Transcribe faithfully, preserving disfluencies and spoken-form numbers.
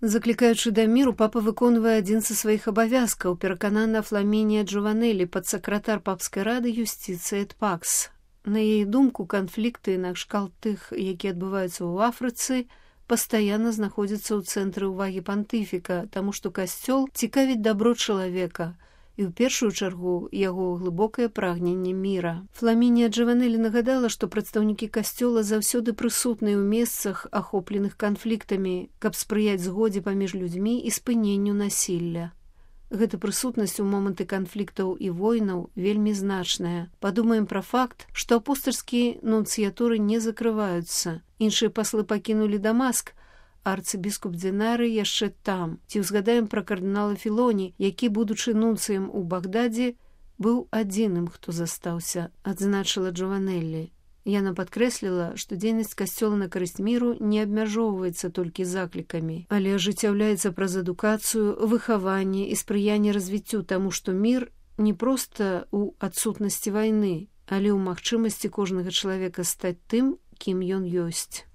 Заклікаючы да міру, папа выконвае адзін са сваіх абавязкаў, пераканана Фламінія Джованелі, падсакратар папскай рады юстыцыі эт пакс. На яе думку, канфлікты накшталт тых, якія адбываюцца ў Афрыцы, пастаянна знаходзяцца ў цэнтры ўвагі пантыфіка, таму што касцёл цікавіць дабро чалавека і ў першую чаргу яго глыбокае прагненне міра. Фламінія Джованелі нагадала, што прадстаўнікі касцёла заўсёды прысутныя ў месцах, ахопленых канфліктамі, каб спрыяць згодзе паміж людзьмі і спыненню насілля. Гэта прысутнасць у моманты канфліктаў і войнаў вельмі значная. Падумаем пра факт, што апостальскія нунцыятуры не закрываюцца. Іншыя паслы пакінулі Дамаск, арцыбіскуп Дзінары яшчэ там. Ці ўзгадаем пра кардынала Філоні, які, будучы нунцыем у Багдадзе, быў адзіным, хто застаўся, адзначыла Джованеллі. Яна падкрэсліла, што дзейнасць касцёла на карысць міру не абмяжоўваецца толькі заклікамі, але ажыццяўляецца праз адукацыю, выхаванне і спрыянне развіццю, таму што мір не проста ў адсутнасці вайны, але ў магчымасці кожнага чалавека стаць тым, кім ён ёсць.